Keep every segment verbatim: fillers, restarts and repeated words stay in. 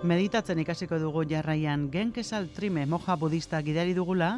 Meditatzen ikasiko dugu jarraian Genkesal Trime moja budista gidari dugula,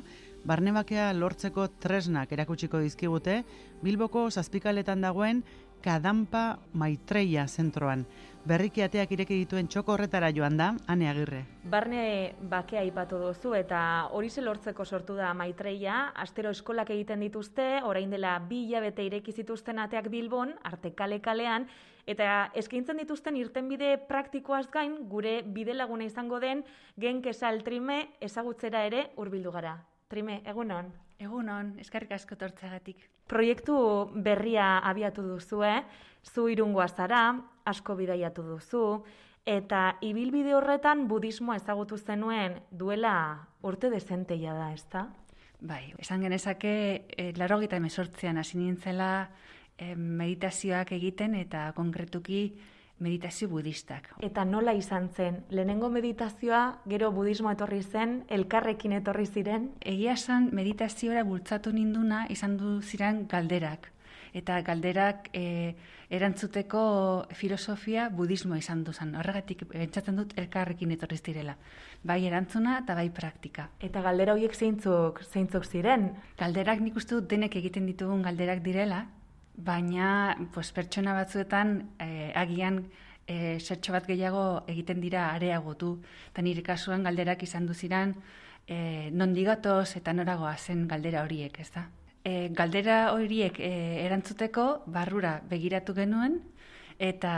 barnebakea lortzeko tresnak erakutsiko dizkigute Bilboko zazpikaletan dagoen Kadampa Maitreia zentroan. Berriki ateak ireki dituen txoko horretara joan da, Ane Agirre. Barne bakea aipatu duzu eta hori lortzeko sortu da Maitreia, astero eskolak egiten dituzte, orain dela bi hilabete ireki zituzten ateak Bilbon, arte kale kalean, eta eskaintzen dituzten irtenbide praktikoaz gain, gure bidelaguna izango den Genkesal Trime ezagutzera ere hurbildu gara. Trime, egunon? Egunon, eskerrik asko tortzagatik. Proiektu berria abiatu duzu, eh? Zu Irungoa zara, asko bidaiatu duzu, eta ibilbide horretan budismoa ezagutu zenuen duela urte dezenteia da, ezta? Bai, esan genezake, e, laurogeita hemezortzian hasi nintzela e, meditazioak egiten eta konkretuki meditazio budistak. Eta nola izan zen? Lehenengo meditazioa, gero budismo etorri zen, elkarrekin etorri ziren? Egia esan meditaziora bultzatu ninduna izan du ziren galderak. Eta galderak e, erantzuteko filosofia budismoa izan duzan. Horregatik pentsatzen dut elkarrekin etorri zirela. Bai erantzuna eta bai praktika. Eta galdera horiek zeintzuk, zeintzuk ziren? Galderak nik uste dut denek egiten ditugun galderak direla, baina pues, pertsona batzuetan eh, agian eh, zertxo bat gehiago egiten dira areagotu. Eta nire kasuan galderak izan duziran eh, nondigatoz eta noragoa zen galdera horiek, ez da? E, galdera horiek e, erantzuteko barrura begiratu genuen eta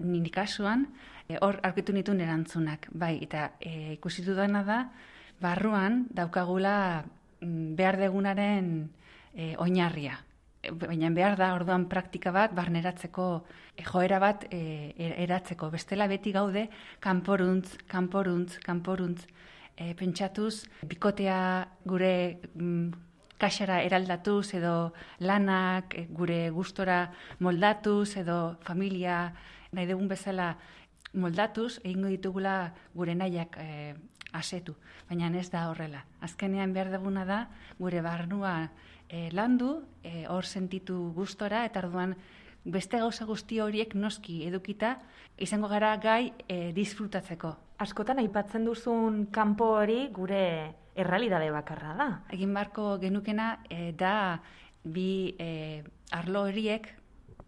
nire kasuan e, hor aurkitu nituen erantzunak. Bai, eta e, ikusi dudana da barruan daukagula mm, behar degunaren e, oinarria. Baina behar da orduan praktika bat barneratzeko e, joera bat e, eratzeko. Bestela beti gaude kanporuntz, kanporuntz, kanporuntz e, pentsatuz bikotea gure mm, kaxara eraldatuz edo lanak gure gustora moldatuz edo familia nahi dugun bezala moldatuz egingo ditugula gure nahiak e, asetu. Baina ez da horrela. Azkenean behar duguna da gure barnua e, landu, e, hor sentitu gustora eta orduan beste gauza guzti horiek noski edukita izango gara gai e, disfrutatzeko. Askotan aipatzen duzun kanpo hori gure errealidade bakarra da. Egin barko genukena e, da bi e, arlo horiek,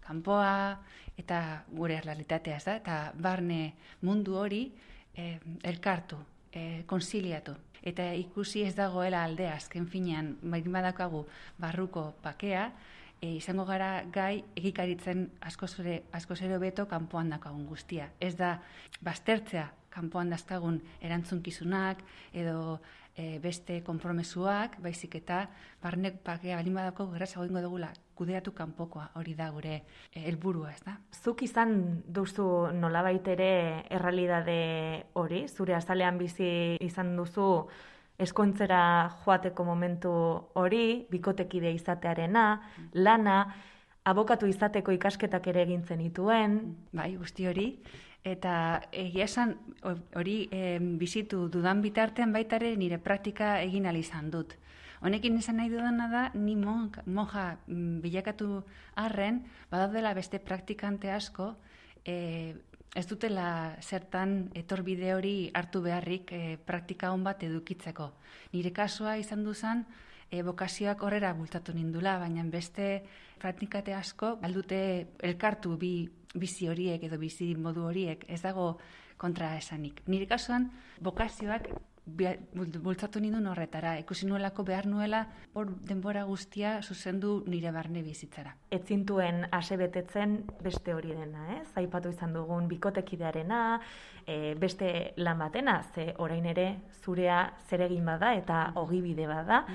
kanpoa eta gure errealitatea, da, eta barne mundu hori e, elkartu, e, konsiliatu. Eta ikusi ez dagoela aldea, azken finean, baitin badaukagu barruko pakea, e, izango gara gai egikaritzen askoz ere, askoz ere hobeto kanpoan daukagun guztia. Ez da baztertzea kanpoan dazkagun erantzunkizunak edo e, beste konpromesuak, baizik eta barnek pakea balin badako gerrazago ingo dugula kudeatu kanpokoa, hori da gure helburua, ez da? Zuk izan duzu nolabait ere errealidade hori, zure azalean bizi izan duzu eskontzera joateko momentu hori, bikotekide izatearena, lana, abokatu izateko ikasketak ere egin zenituen. Bai, guzti hori. Eta egia esan hori e, bizitu dudan bitartean baitare nire praktika egin ahal izan dut. Honekin esan nahi dudana da, ni monja, monja bilakatu arren, badaudela beste praktikante asko, e, ez dutela zertan etorbide hori hartu beharrik e, praktika hon bat edukitzeko. Nire kasua izan duzan, e, bokazioak horrera bultatu nindula, baina beste praktikate asko, baldute elkartu bi bizi horiek edo bizi modu horiek, ez dago kontra esanik. Nire kasuan, bokazioak bultzatu nindun horretara, ikusi nuelako behar nuela hor denbora guztia zuzendu nire barne bizitzara. Ez zintuen asebetetzen beste hori dena, ez? Aipatu izan dugun bikotekidearena, e, beste lan batena, ze orain ere zurea zeregin bada eta ogibide bada.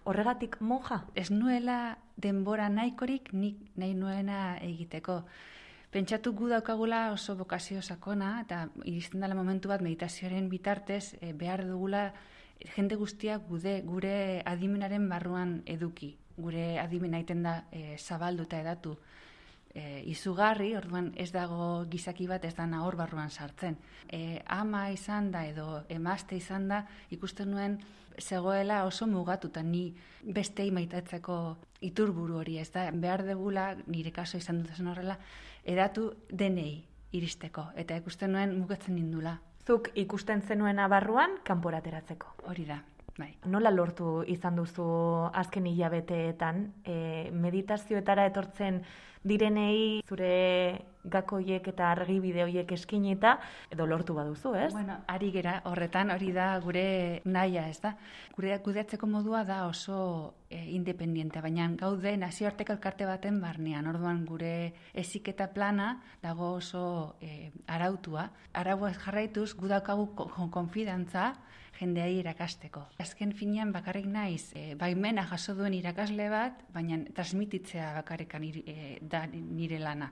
Horregatik monja? Ez nuela denbora nahikorik nik nahi nuena egiteko. Pentsatu gu daukagula oso bokazio sakona eta iristen dela momentu bat meditazioaren bitartez e, behar dugula jende guztiak gude, gure adimenaren barruan eduki. Gure adimena iten da e, zabaldu eta edatu e, izugarri, orduan ez dago gizaki bat ez da hor barruan sartzen. E, ama izan da edo emazte izan da ikusten nuen zegoela oso mugatuta ni bestei maitatzeko iturburu hori, ez da, behar degula, nire kaso izan dut zen horrela, edatu denei iristeko, eta ikusten nuen mugatzen nindula. Zuk ikusten zenuena barruan kanporateratzeko. Hori da, bai. Nola lortu izan duzu azken hilabeteetan e, meditazioetara etortzen direnei zure gakoiek eta argibide horiek eskinita edo lortu baduzu, ez? Bueno, ari gera horretan, hori da gure nahia, ez da? Gure kudeatzeko modua da oso e, independiente, baina gaude nazioarteko elkarte baten barnean. Orduan gure heziketa plana dago oso e, arautua. Arauaz jarraituz, gu daukagu konfidantza jendeai irakasteko. Azken finean bakarrik naiz, e, baimena jaso duen irakasle bat, baina transmititzea bakarrikan e, da nire lana.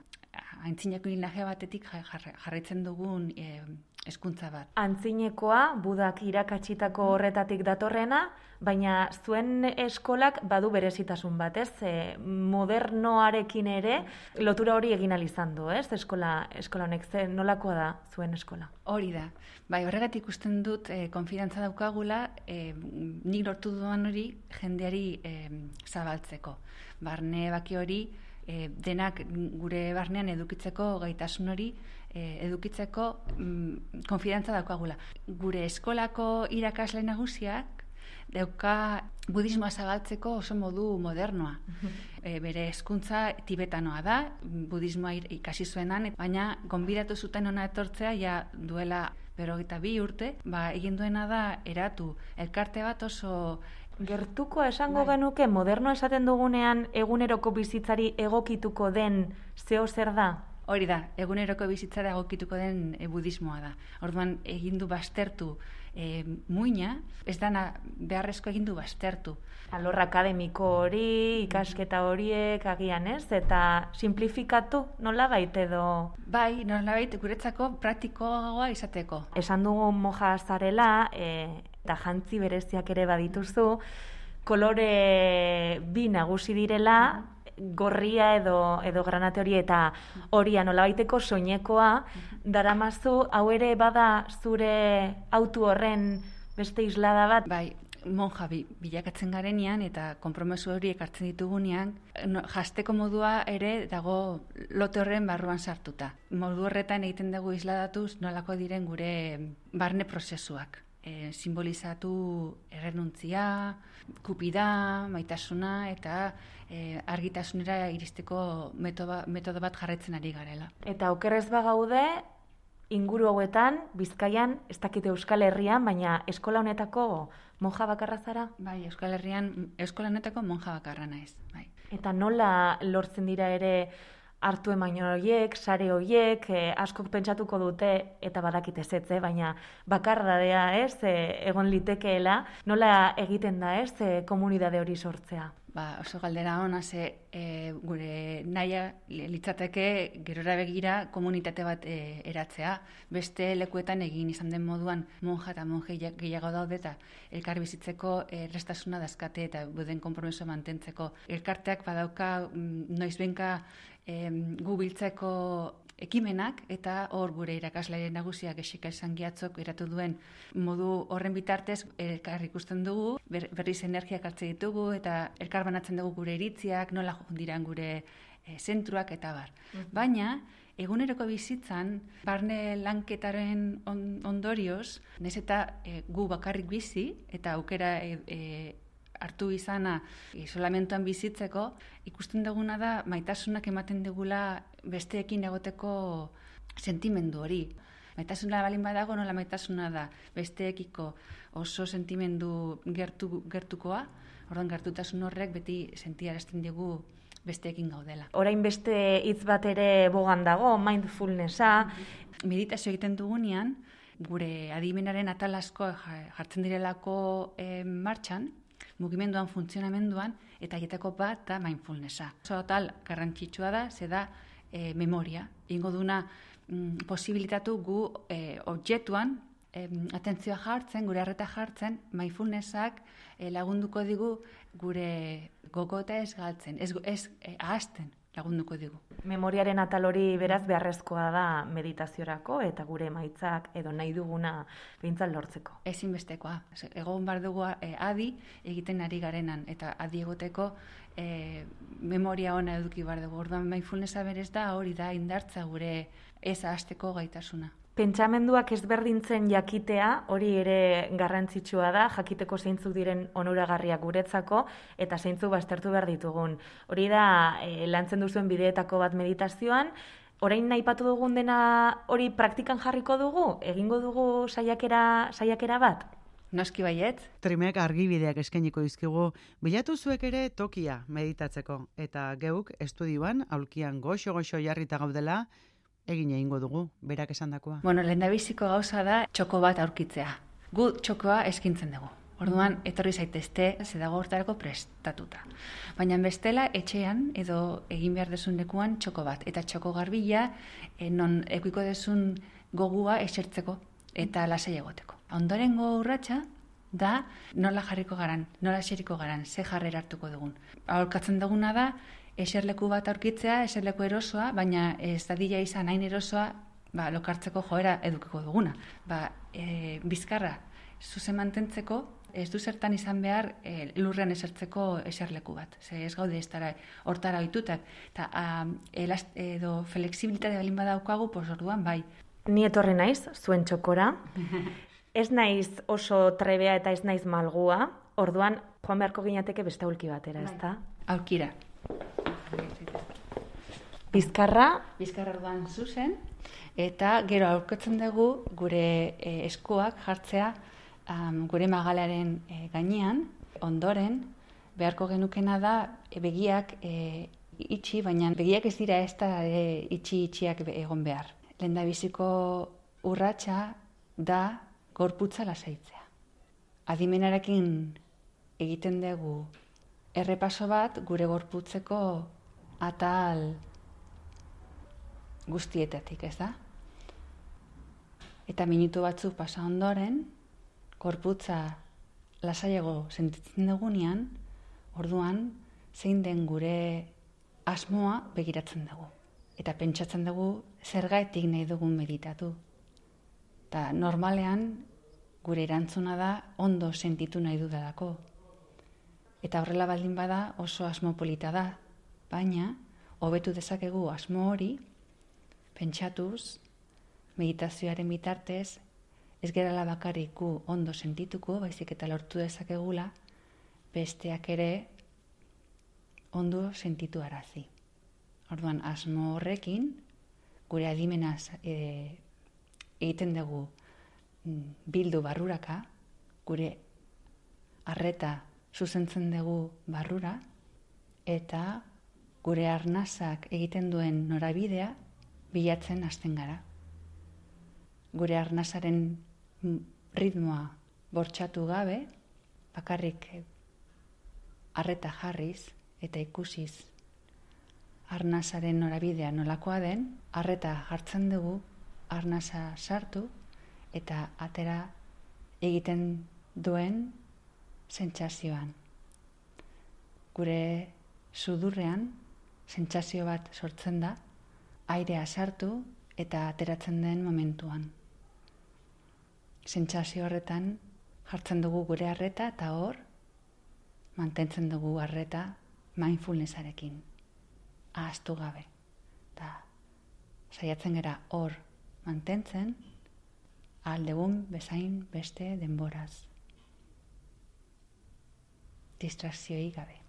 Antzineko linaje batetik jarraitzen dugun e, hezkuntza bat. Antzinekoa, Budak irakatsitako horretatik datorrena, baina zuen eskolak badu berezitasun bat, ez? E, modernoarekin ere lotura hori egin ahal izan du, ez? Eskola, eskola honek, ze nolakoa da zuen eskola? Hori da. Bai, horregatik ikusten dut e, konfidantza daukagula, e, nik lortu duan hori jendeari e, zabaltzeko. Barne baki hori, e, denak gure barnean edukitzeko gaitasun hori, e, edukitzeko mm, konfidantza daukagula. Gure eskolako irakasle nagusiak dauka budismoa zabaltzeko oso modu modernoa. E, bere hezkuntza tibetanoa da, budismoa ikasi zuenan, baina gonbidatu zuten ona etortzea ja duela berrogeita bi urte, ba, egin duena da eratu elkarte bat oso gertuko esango bai. Genuke moderno esaten dugunean eguneroko bizitzari egokituko den zeo zer da? Hori da, eguneroko bizitzara egokituko den e, budismoa da. Orduan egin du baztertu e, muina, ez dana beharrezko egin du baztertu. Alor akademiko hori, ikasketa horiek agian ez, eta simplifikatu nola baita edo? Bai, nola baita guretzako praktikoagoa izateko. Esan dugu moja zarela, e, eta jantzi bereziak ere badituzu, kolore bi nagusi direla, gorria edo edo granate hori eta horia nolabaiteko soinekoa daramazu, hau ere bada zure autu horren beste islada bat? Bai, monja bilakatzen garenean eta konpromesu hori ekartzen ditugunean, no, jasteko modua ere dago lote horren barruan sartuta. Modu horretan egiten dugu isladatuz nolako diren gure barne prozesuak. E, simbolizatu errenuntzia, kupida, maitasuna eta e, argitasunera iristeko metodo, metodo bat jarraitzen ari garela. Eta okerrez bagaude, inguru hauetan, Bizkaian, ez dakite Euskal Herrian, baina eskola honetako monja bakarra zara? Bai, Euskal Herrian, eskola honetako monja bakarra naiz. Bai. Eta nola lortzen dira ere hartu emain horiek, sare horiek, eh, askok pentsatuko dute, eta badakite zetze, baina bakardadea ez, eh, egon litekeela, nola egiten da ez, eh, komunidade hori sortzea? Ba, oso galdera hona, ze e, gure naia litzateke gerora begira komunitate bat e, eratzea. Beste lekuetan egin izan den moduan monja eta monje gehiago daude eta elkar bizitzeko errestasuna dazkate eta buden konpromiso mantentzeko. Elkarteak badauka noizbenka e, gu biltzeko ekimenak eta hor gure irakaslearen nagusiak Exeka Esangiatzok eratu duen modu horren bitartez elkar ikusten dugu, ber, berriz energiak hartzen ditugu eta elkar banatzen dugu gure iritziak, nola diran gure e, zentruak eta bar. Mm-hmm. Baina, eguneroko bizitzan, barne lanketaren on, ondorioz, nez eta e, gu bakarrik bizi eta aukera e, e, hartu izana isolamentuan bizitzeko, ikusten duguna da maitasunak ematen dugula besteekin egoteko sentimendu hori. Maitasuna balin badago, nola maitasuna da besteekiko oso sentimendu gertu, gertukoa, orduan gertutasun horrek beti sentiarazten digu besteekin gaudela. Orain beste hitz bat ere bogan dago, mindfulnessa. Meditazio egiten dugunean, gure adimenaren atal asko jartzen direlako eh, martxan, mugimenduan, funtzionamenduan, eta aietako bat da mindfulnessa. Oso tal garrantzitsua da, ze da e, memoria. Ingo duna mm, posibilitatu gu e, objektuan e, atentzioa jartzen, gure arreta jartzen, mindfulnessak e, lagunduko digu gure gogota ez galtzen, ez, ez e, ahazten lagunduko digu. Memoriaren atal hori beraz beharrezkoa da meditaziorako eta gure emaitzak edo nahi duguna behintzat lortzeko. Ezinbestekoa. Egon bar dugu e, adi egiten ari garenan eta adi egoteko e, memoria ona eduki bar dugu. Orduan mindfulnessa berez da hori da indartza gure ez ahazteko gaitasuna. Pentsamenduak ezberdintzen jakitea, hori ere garrantzitsua da, jakiteko zeintzuk diren onuragarriak guretzako, eta zeintzuk baztertu behar ditugun. Hori da, e, lantzen duzuen bideetako bat meditazioan, orain aipatu dugun dena hori praktikan jarriko dugu? Egingo dugu saiakera, saiakera bat? Noski baiet. Trimek argibideak eskainiko dizkigu, bilatu zuek ere tokia meditatzeko, eta geuk estudioan, aulkian goxo-goxo jarrita gaudela, egin egingo dugu, berak esandakoa. Bueno, lehendabiziko gauza da txoko bat aurkitzea. Gu txokoa eskintzen dugu. Orduan, etorri zaitezte, ze dago hortarako prestatuta. Baina bestela, etxean, edo egin behar desun lekuan txoko bat. Eta txoko garbila, e, non ekuiko desun gogua esertzeko eta lasai egoteko. Ondorengo urratsa da nola jarriko garan, nola eseriko garan, ze jarrera hartuko dugun. Aholkatzen duguna da, eserleku bat aurkitzea, eserleku erosoa, baina ez dadila izan hain erosoa, ba, lokartzeko joera edukiko duguna. Ba, e, bizkarra, zuzen mantentzeko, ez du zertan izan behar e, lurrean esertzeko eserleku bat. Ze ez gaude ez dara hortara oitutak. Eta elast, edo flexibilitate balin badaukagu, pos orduan bai. Ni etorri naiz, zuen txokora. Ez naiz oso trebea eta ez naiz malgua. Orduan, joan beharko ginateke beste aulki batera, ez da? Aulkira. Bizkarra. Bizkarra orduan zuzen. Eta gero aurketzen dugu gure e, eskuak jartzea um, gure magalaren e, gainean, ondoren, beharko genukena da e, begiak e, itxi, baina begiak ez dira ez da e, itxi-itxiak egon behar. Lehendabiziko urratsa da gorputza lasaitzea. Adimenarekin egiten dugu errepaso bat gure gorputzeko atal guztietatik, ez da? Eta minutu batzuk pasa ondoren, gorputza lasaiago sentitzen dugunean, orduan zein den gure asmoa begiratzen dugu. Eta pentsatzen dugu zergatik nahi dugun meditatu. Eta normalean gure erantzuna da ondo sentitu nahi dudalako. Eta horrela baldin bada oso asmo polita da, baina hobetu dezakegu asmo hori pentsatuz, meditazioaren bitartez, ez gerala bakarrik gu ondo sentituko, baizik eta lortu dezakegula, besteak ere ondo sentitu arazi. Orduan, asmo horrekin, gure adimenaz e, egiten dugu bildu barruraka, gure arreta zuzentzen dugu barrura, eta gure arnazak egiten duen norabidea bilatzen hasten gara. Gure arnazaren ritmoa bortxatu gabe, bakarrik arreta jarriz eta ikusiz arnazaren norabidea nolakoa den, arreta jartzen dugu, arnaza sartu eta atera egiten duen sentsazioan. Gure sudurrean sentsazio bat sortzen da, airea sartu eta ateratzen den momentuan. Sentsazio horretan jartzen dugu gure arreta eta hor mantentzen dugu arreta mindfulnessarekin. Ahaztu gabe. Eta saiatzen gara hor mantentzen aldegun bezain beste denboraz. Distrakzioi gabe.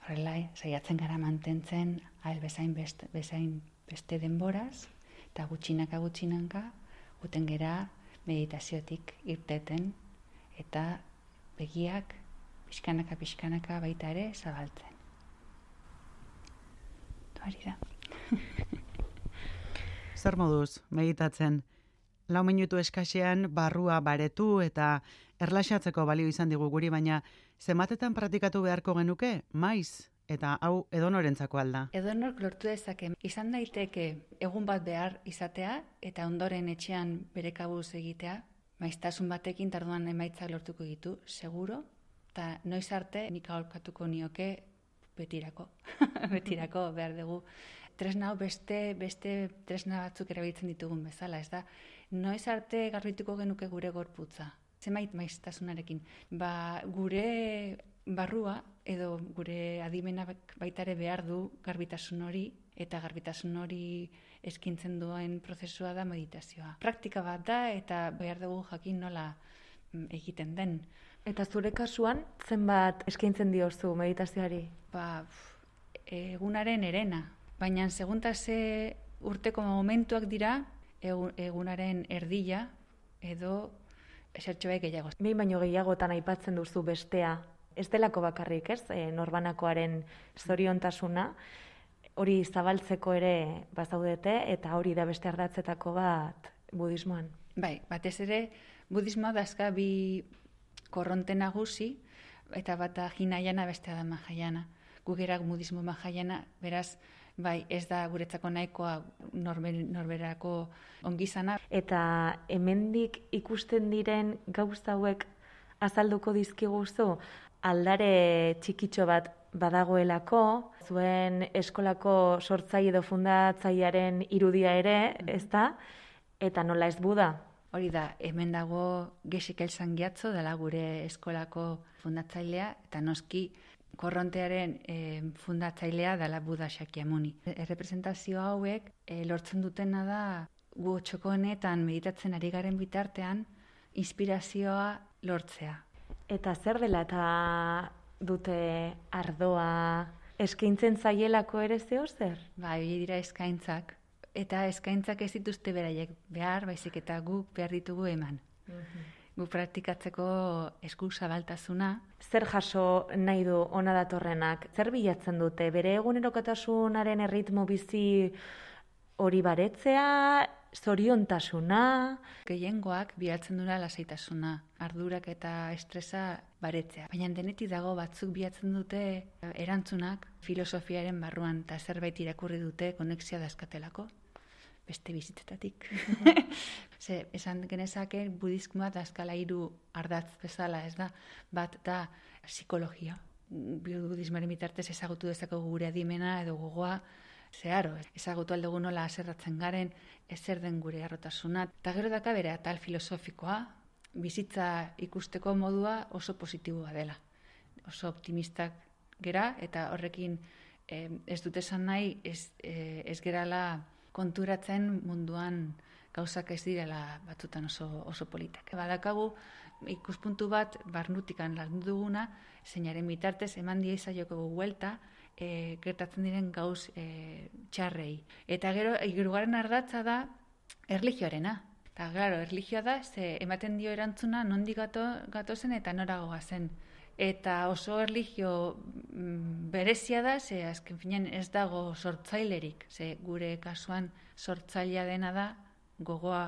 Horrela, saiatzen gara mantentzen ahal bezain beste, bezain beste denboraz, eta gutxinaka gutxinanka guten gera meditaziotik irteten eta begiak pixkanaka pixkanaka baita ere zabaltzen. Hori da. Zer moduz meditatzen? Lau minutu eskasean barrua baretu eta erlaxatzeko balio izan digu guri, baina zenbatetan praktikatu beharko genuke, maiz? Eta hau edonorentzako alda. Edonork lortu dezake. Izan daiteke egun bat behar izatea eta ondoren etxean bere kabuz egitea, maiztasun batekin tarduan emaitzak lortuko ditu, seguro, eta noiz arte nik aholkatuko nioke betirako. betirako behar dugu. Tresna hau beste, beste tresna batzuk erabiltzen ditugun bezala, ez da? Noiz arte garbituko genuke gure gorputza. Zenbait maiztasunarekin. Ba, gure barrua edo gure adimena baitare behar du garbitasun hori eta garbitasun hori eskintzen duen prozesua da meditazioa. Praktika bat da eta behar dugu jakin nola egiten den. Eta zure kasuan, zenbat eskaintzen diozu meditazioari? Ba, egunaren erena. Baina segunta ze urteko momentuak dira, egunaren erdila edo esertxo bai gehiago. Behin baino gehiagotan aipatzen duzu bestea. Ez delako bakarrik, ez? E, norbanakoaren zoriontasuna. Hori zabaltzeko ere bazaudete eta hori da beste ardatzetako bat budismoan. Bai, batez ere budismoa dazka bi korronte nagusi eta bata Hinayana bestea da Mahayana. Gugerak budismo Mahayana, beraz, bai, ez da guretzako nahikoa norber, norberako ongizana. Eta hemendik ikusten diren gauza hauek azalduko dizkiguzu, aldare txikitxo bat badagoelako, zuen eskolako sortzaile edo fundatzailearen irudia ere, ez da? Eta nola ez Buda? Hori da, hemen dago Geshe-Kyle Sangyatso, dela gure eskolako fundatzailea, eta noski korrontearen e, fundatzailea dela Buda Shakyamuni. Errepresentazio hauek e, lortzen dutena da gu txoko honetan meditatzen ari garen bitartean inspirazioa lortzea. Eta zer dela eta dute ardoa eskaintzen zaielako ere zeo zer? Ba, hori dira eskaintzak. Eta eskaintzak ez dituzte beraiek behar, baizik eta guk behar ditugu eman. Uh-huh. Guk praktikatzeko esku zabaltasuna. Zer jaso nahi du ona datorrenak? Zer bilatzen dute? Bere egunerokotasunaren erritmo bizi hori baretzea, zoriontasuna? Gehiengoak bilatzen dura lasaitasuna, ardurak eta estresa baretzea. Baina denetik dago batzuk bilatzen dute erantzunak filosofiaren barruan eta zerbait irakurri dute konexioa dazkatelako. Beste bizitetatik. Ze, esan genezake budismoa dazkala hiru ardatz bezala, ez da? Bat da psikologia. Budismoaren bitartez ezagutu dezakegu gure adimena edo gogoa, zeharo, ezagutu aldugu nola aserratzen garen, ezer den gure harrotasuna. Eta gero daka bere atal filosofikoa, bizitza ikusteko modua oso positiboa dela. Oso optimistak gera, eta horrekin eh, ez dut esan nahi, ez, eh, ez gerala konturatzen munduan gauzak ez direla batzutan oso, oso politak. Badakagu ikuspuntu bat barnutikan landu duguna, zeinaren bitartez eman die izaioko guelta, E, gertatzen diren gauz e, txarrei. Eta gero, hirugarren ardatza da erlijioarena. Eta, claro, erlijioa da, ze ematen dio erantzuna nondik gato, gatozen eta noragoa zen. Eta oso erlijio mm, berezia da, ze azken finean ez dago sortzailerik. Ze gure kasuan sortzailea dena da gogoa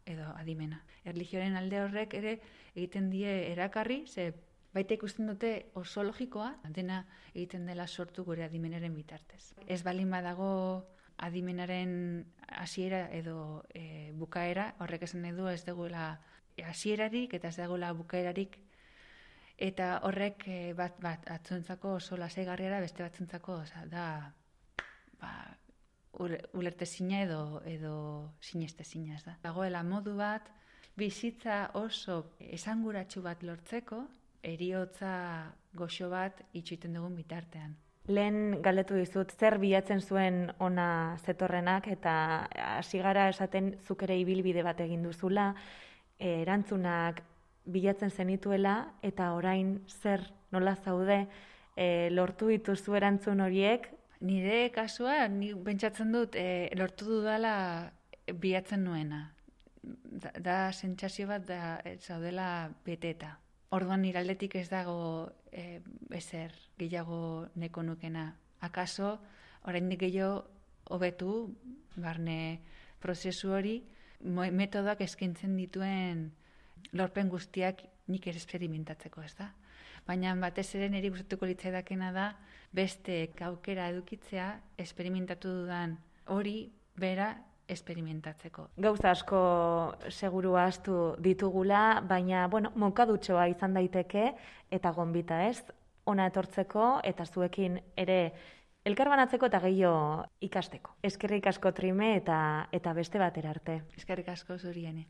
edo adimena. Erlijioaren alde horrek ere egiten die erakarri, ze baita ikusten dute oso logikoa, dena egiten dela sortu gure adimenaren bitartez. Ez balin badago adimenaren hasiera edo e, bukaera, horrek esan nahi du ez dagoela hasierarik eta ez dagoela bukaerarik, eta horrek e, bat bat atzontzako oso lasaigarriara beste batzuntzako, oza, da ba, ulertezina edo edo sinestezina, ez da. Dagoela modu bat bizitza oso esanguratsu bat lortzeko, eriotza goxo bat itxoiten dugun bitartean. Lehen galdetu dizut, zer bilatzen zuen ona zetorrenak, eta hasi gara esaten zuk ere ibilbide bat egin duzula, erantzunak bilatzen zenituela, eta orain zer nola zaude e, lortu dituzu erantzun horiek? Nire kasua, ni pentsatzen dut, e, lortu dudala bilatzen nuena. Da, da sentsazio bat da zaudela beteta. Orduan nire aldetik ez dago e, ezer gehiago neko nukena. Akaso, oraindik gehiago hobetu barne prozesu hori, metodoak eskaintzen dituen lorpen guztiak nik ere esperimentatzeko, ez da? Baina batez ere niri gustatuko litzaidakena da beste aukera edukitzea esperimentatu dudan hori bera esperimentatzeko. Gauza asko seguru ahaztu ditugula, baina, bueno, monkadutxoa izan daiteke eta gonbita, ez? Ona etortzeko eta zuekin ere elkarbanatzeko eta gehiago ikasteko. Eskerrik asko Trime eta eta beste batera arte. Eskerrik asko zuriene.